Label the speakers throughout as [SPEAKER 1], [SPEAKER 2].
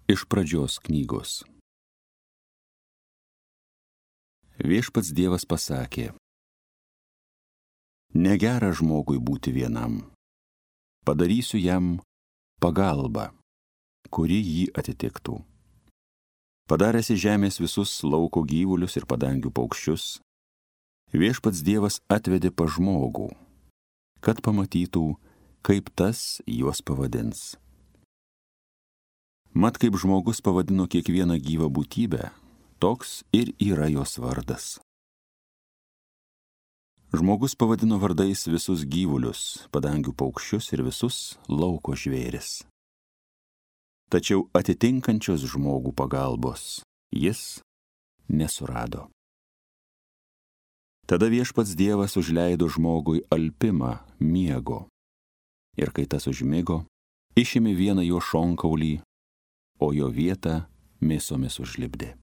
[SPEAKER 1] Iš pradžios knygos. Viešpats Dievas pasakė: negera žmogui būti vienam. Padarysiu jam pagalbą, kuri jį atitiktų. Padaręs iš žemės visus lauko gyvulius ir padangių paukščius, Viešpats Dievas atvedė pas žmogų, kad pamatytų, kaip tas juos pavadins. Mat, kaip žmogus pavadino kiekvieną gyvą būtybę, toks ir yra jos vardas. Žmogus pavadino vardais visus gyvulius, padangių paukščius ir visus lauko žvėris. Tačiau atitinkančios žmogų pagalbos jis nesurado. Tada Viešpats Dievas užleido žmogui alpimą miego. Ir kai tas užmigo, išėmė vieną jo šonkaulį, o jo vietą mėsomis užlipdė.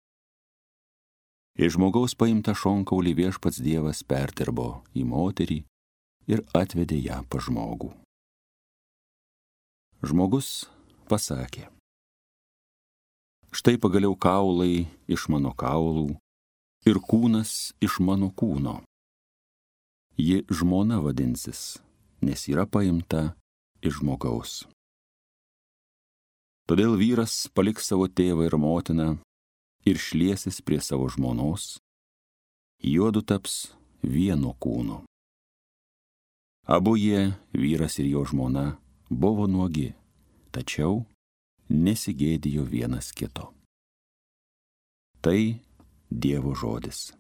[SPEAKER 1] Iš žmogaus paimtą šonkaulį Viešpats Dievas perdirbo į moterį ir atvedė ją pas žmogų. Žmogus pasakė: štai pagaliau kaulai iš mano kaulų ir kūnas iš mano kūno. Ji žmona vadinsis, nes yra paimta iš žmogaus. Todėl vyras paliks savo tėvą ir motiną ir šliesis prie savo žmonos, juodu taps vieno kūno. Abu jie, vyras ir jo žmona, buvo nuogi, tačiau nesigėdijo vienas kito. Tai Dievo žodis.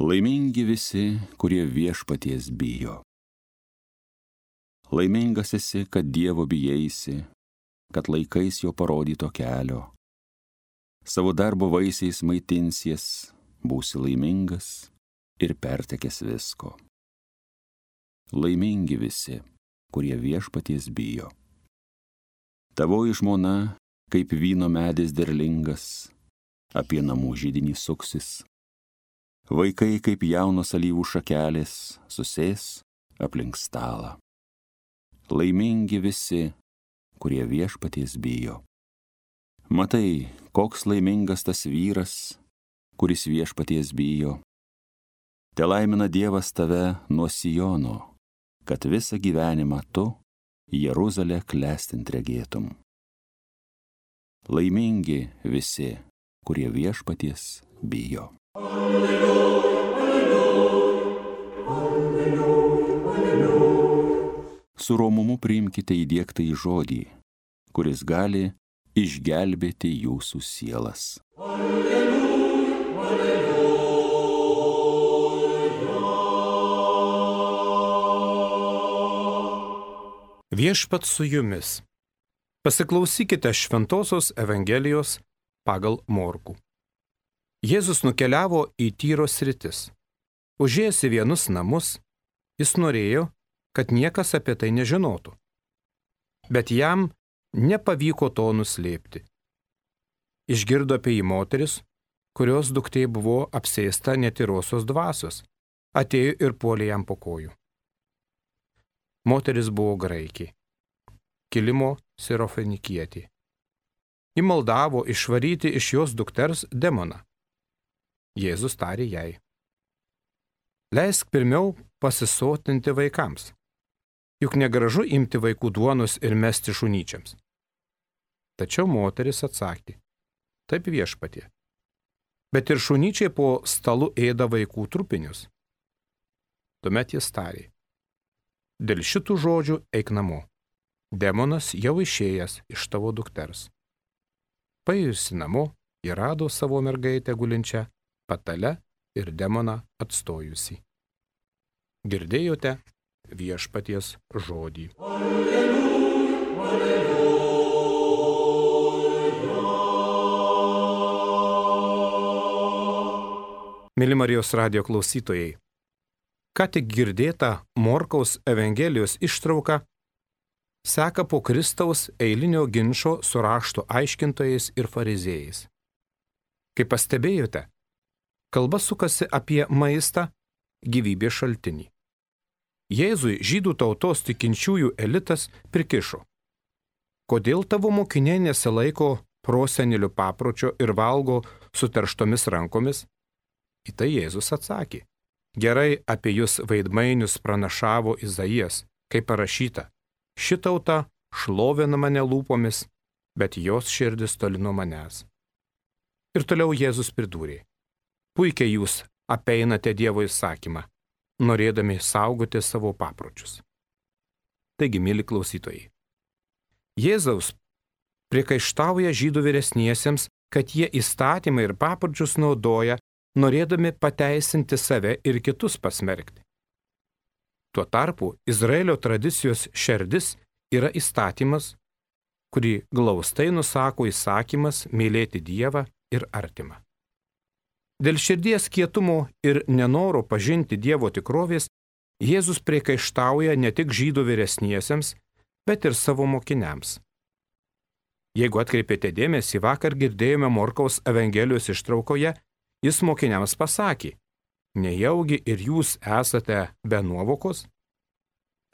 [SPEAKER 1] Laimingi visi, kurie Viešpaties bijo. Laimingas esi, kad Dievo bijaisi, kad laikais jo parodyto kelio. Savo darbo vaisiais maitinsies, būsi laimingas ir pertekęs visko. Laimingi visi, kurie Viešpaties bijo. Tavoji žmona, kaip vyno medis derlingas, apie namų židinį suksis. Vaikai kaip jaunos alyvų šakelės susės aplink stalą. Laimingi visi, kurie Viešpaties bijo. Matai, koks laimingas tas vyras, kuris Viešpaties bijo. Telaimina Dievas tave nuo Siono, kad visą gyvenimą tu Jeruzalę klestint regėtum. Laimingi visi, kurie Viešpaties bijo. Su romumu priimkite įdiegtą į žodį, kuris gali išgelbėti jūsų sielas.
[SPEAKER 2] Viešpats su jumis. Pasiklausykite Šventosios Evangelijos pagal Morkų. Jėzus nukeliavo į Tyros sritis. Užėjęs į vienus namus, jis norėjo, kad niekas apie tai nežinotų. Bet jam nepavyko to nuslėpti. Išgirdo apie jį moteris, kurios duktė buvo apsėsta netyrosios dvasios, atėjo ir puolė jam po kojų. Moteris buvo graikė, kilimo sirofenikietė. Ji maldavo išvaryti iš jos dukters demoną. Jėzus tarė jai: leisk pirmiau pasisotinti vaikams, juk negražu imti vaikų duonos ir mesti šunyčiams. Tačiau moteris atsakė: taip, Viešpatie, bet ir šunyčiai po stalu ėda vaikų trupinius. Tuomet jis tarė: dėl šitų žodžių eik namo, demonas jau išėjęs iš tavo dukters. Paėjusi namo, ji rado savo mergaitę gulinčią patale ir demoną atstojusi. Girdėjote Viešpaties žodį.
[SPEAKER 3] Alleluja, alleluja.
[SPEAKER 2] Mėly Marijos radijo klausytojai, Ką tik girdėta Morkaus Evangelijos ištrauka seka po Kristaus eilinio ginčo su rašto aiškintojais ir fariziejais. Kaip pastebėjote, kalba sukasi apie maistą, gyvybės šaltinį. Jėzui žydų tautos tikinčiųjų elitas prikišo: kodėl tavo mokiniai nesilaiko prosenelių papročio ir valgo suterštomis rankomis? Į tai Jėzus atsakė: gerai apie jūs veidmainius pranašavo Izaijas, kaip parašyta: ši tauta šlovina mane lūpomis, bet jos širdis toli nuo manęs. Ir toliau Jėzus pridūrė: puikiai jūs apeinate Dievo įsakymą, norėdami saugoti savo papročius. Taigi, mėly klausytojai, Jėzaus priekaištauja žydų vyresniesiems, kad jie įstatymą ir papročius naudoja, norėdami pateisinti save ir kitus pasmerkti. Tuo tarpu Izraelio tradicijos šerdis yra įstatymas, kurį glaustai nusako įsakymas mylėti Dievą ir artimą. Dėl širdies kietumo ir nenoro pažinti Dievo tikrovės Jėzus priekaištauja ne tik žydų vyresniesiems, bet ir savo mokiniams. Jeigu atkreipėte dėmesį, vakar girdėjome Morkaus Evangelijos ištraukoje, jis mokiniams pasakė: nejaugi ir jūs esate be nuovokos?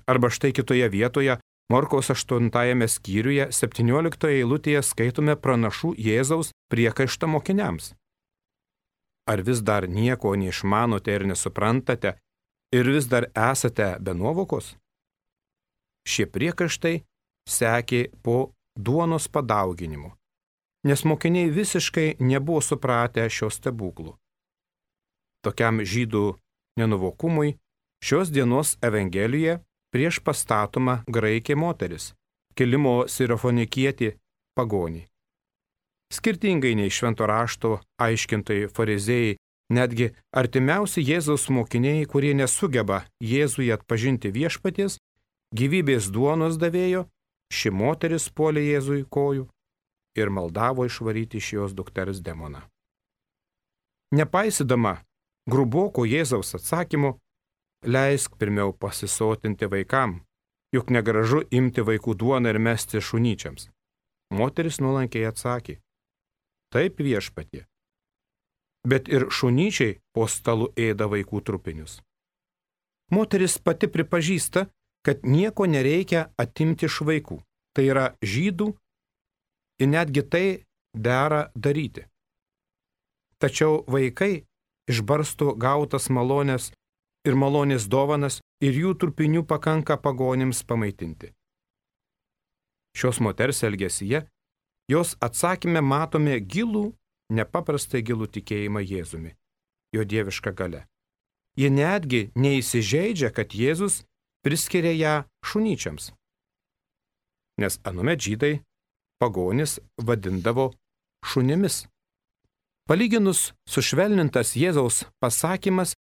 [SPEAKER 2] Arba štai kitoje vietoje, Morkaus 8 skyriuje 17 eilutėje skaitome pranašų Jėzaus priekaištą mokiniams. Ar vis dar nieko neišmanote ir nesuprantate, ir vis dar esate be nuovokos? Šie priekaištai sekė po duonos padauginimu, nes mokiniai visiškai nebuvo supratę šios stebuklų. Tokiam žydų nenuvokumui šios dienos Evangelijoje prieš pastatoma graikė moteris, kilimo sirofonikietė pagonį. Skirtingai nei švento rašto aiškintojai fariziejai, netgi artimiausi Jėzaus mokiniai, kurie nesugeba Jėzuje atpažinti viešpaties, gyvybės duonos davėjo, ši moteris puolė Jėzui kojų ir maldavo išvaryti iš jos dukters demoną. Nepaisydama gruboko Jėzaus atsakymo, leisk pirmiau pasisotinti vaikam, juk negražu imti vaikų duoną ir mesti šunyčiams. Moteris nuolankiai atsakė: taip, viešpatie, bet ir šunyčiai po stalu ėda vaikų trupinius. Moteris pati pripažįsta, kad nieko nereikia atimti iš vaikų, tai yra žydų, ir netgi tai dera daryti. Tačiau vaikai išbarsto gautas malonės ir malonės dovanas ir jų trupinių pakanka pagonims pamaitinti. Šios moters elgesyje, jos atsakyme matome gilų, nepaprastai gilų tikėjimą Jėzumi, jo dievišką galę. Ji netgi neįsižeidžia, kad Jėzus priskiria ją šunyčiams. Nes anuomet žydai pagonis vadindavo šunimis. Palyginus sušvelnintas Jėzaus pasakymas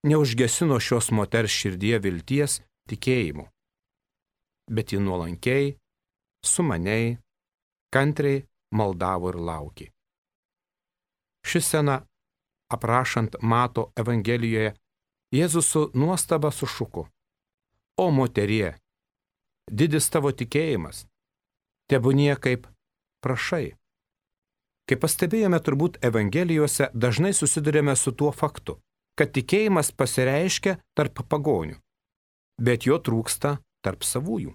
[SPEAKER 2] neužgesino šios moters širdyje vilties tikėjimu, bet ji nuolankiai, sumaniai, kantriai maldavo ir laukė. Ši scena, aprašant Mato Evangelijoje, Jėzus su nuostaba sušuko: o moterie, didis tavo tikėjimas, tebūnie kaip prašai. Kaip pastebėjome, turbūt Evangelijose dažnai susidurėme su tuo faktu, kad tikėjimas pasireiškia tarp pagonių, bet jo trūksta tarp savųjų.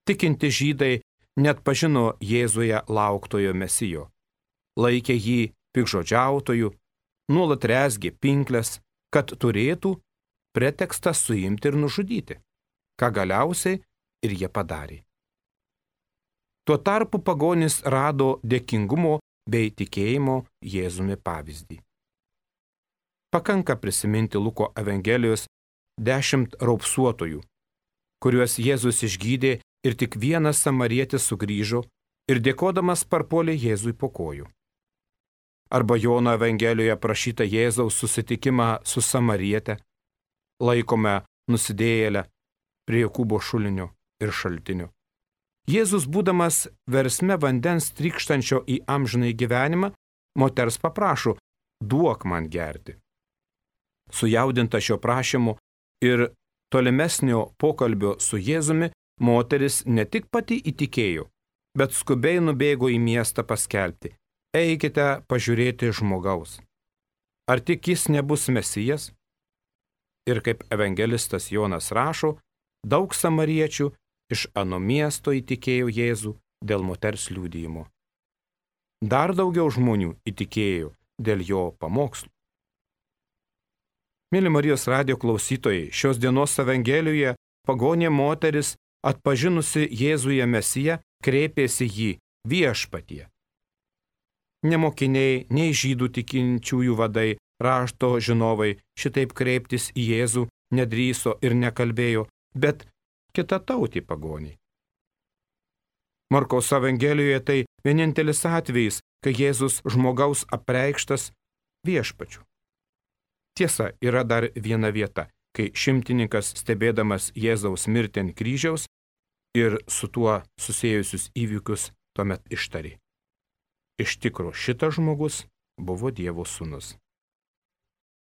[SPEAKER 2] Tikinti žydai net pažino Jėzuje lauktojo Mesijo, laikė jį pikžodžiautoju, nuolat rezgė pinkles, kad turėtų pretekstą suimti ir nužudyti, ką galiausiai ir jie padarė. Tuo tarpu pagonis rado dėkingumo bei tikėjimo Jėzumi pavyzdį. Pakanka prisiminti Luko Evangelijos 10 raupsuotojų, kuriuos Jėzus išgydė ir tik vienas samarietis sugrįžo ir dėkodamas parpuolė Jėzui po kojų. Arba Jono Evangelijoje prašyta Jėzaus susitikimą su samariete, laikome nusidėjėlę prie Jokūbo šulinio ir šaltinio. Jėzus, būdamas versme vandens trykštančio į amžinąjį gyvenimą, moters paprašo: duok man gerti. Sujaudinta šio prašymu ir tolimesnio pokalbio su Jėzumi, moteris ne tik pati įtikėjo, bet skubiai nubėgo į miestą paskelbti: eikite pažiūrėti žmogaus. Ar tik jis nebus Mesijas? Ir kaip evangelistas Jonas rašo, daug samariečių iš ano miesto įtikėjo Jėzų dėl moters liudijimo. Dar daugiau žmonių įtikėjo dėl jo pamokslų. Mėly Marijos radijo klausytojai, šios dienos Evangelijoje pagonė moteris, atpažinusi Jėzuje Mesiją, kreipėsi jį: viešpatie. Ne mokiniai, nei žydų tikinčiųjų vadai, rašto žinovai šitaip kreiptis į Jėzų nedrįso ir nekalbėjo, bet kitatautį pagonį. Markaus Evangelijoje tai vienintelis atvejis, kai Jėzus žmogaus apreikštas viešpačiu. Tiesa, yra dar viena vieta, kai šimtininkas, stebėdamas Jėzaus mirtį ant kryžiaus ir su tuo susiejusius įvykius, tuomet ištarė: iš tikro šitas žmogus buvo Dievo sūnus.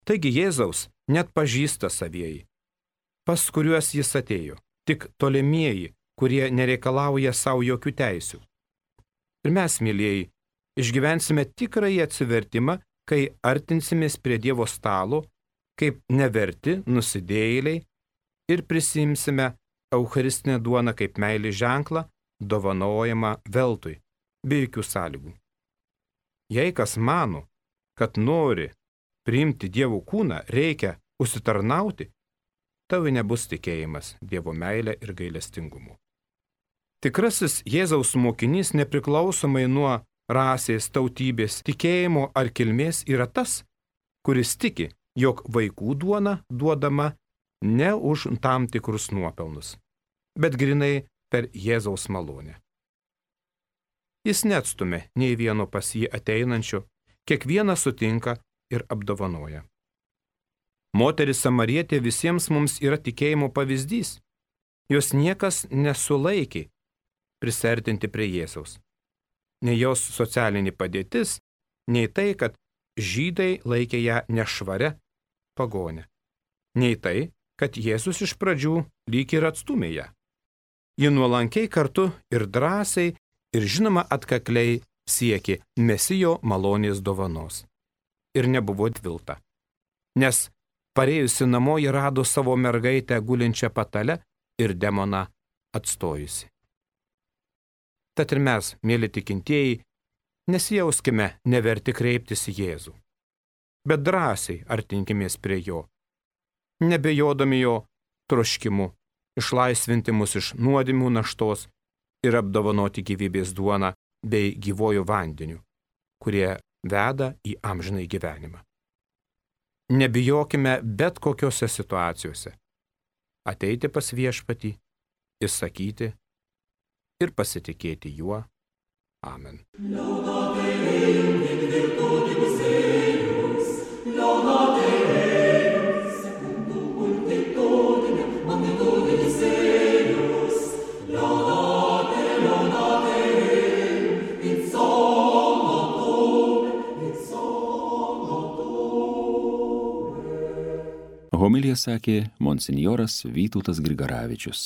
[SPEAKER 2] Taigi Jėzaus net pažįsta savieji, pas kuriuos jis atėjo, tik tolimieji, kurie nereikalauja savo jokių teisių. Ir mes, mylėjai, išgyvensime tikrąjį atsivertimą, kai artinsimės prie Dievo stalo, kaip neverti nusidėjėliai, ir prisimsime eucharistinę duoną kaip meilės ženklą, dovanojamą veltui, be jokių sąlygų. Jei kas mano, kad nori priimti Dievo kūną, reikia užsitarnauti, tau nebus tikėjimas Dievo meilė ir gailestingumu. Tikrasis Jėzaus mokinys, nepriklausomai nuo rasės, tautybės, tikėjimo ar kilmės, yra tas, kuris tiki, jog vaikų duona duodama ne už tam tikrus nuopelnus, bet grinai per Jėzaus malonę. Jis neatstumia nei vieno pas jį ateinančio, kiekvieną sutinka ir apdovanoja. Moteris samarietė visiems mums yra tikėjimo pavyzdys. Jos niekas nesulaikė prisertinti prie Jėzaus. Nei jos socialinė padėtis, nei tai, kad žydai laikė ją nešvaria pagonę. Nei tai, kad Jėzus iš pradžių lyg ir atstūmė ją. Ji nuolankiai kartu ir drąsiai ir žinoma atkakliai siekė Mesijo malonės dovanos. Ir nebuvo dvilta. Nes parėjusi namo ji rado savo mergaitę gulinčią patale ir demoną atstojusi. Tad ir mes, mėly tikintieji, nesijauskime neverti kreiptis į Jėzų, bet drąsiai artinkimės prie jo, nebejodami jo troškimu išlaisvinti mus iš nuodėmių naštos ir apdovanoti gyvybės duoną bei gyvojų vandeniu, kurie veda į amžinąjį gyvenimą. Nebijokime bet kokiose situacijose ateiti pas viešpatį, įsakyti ir pasitikėti juo. Amen.
[SPEAKER 1] Homiliją sakė monsinjoras Vytautas Grigaravičius.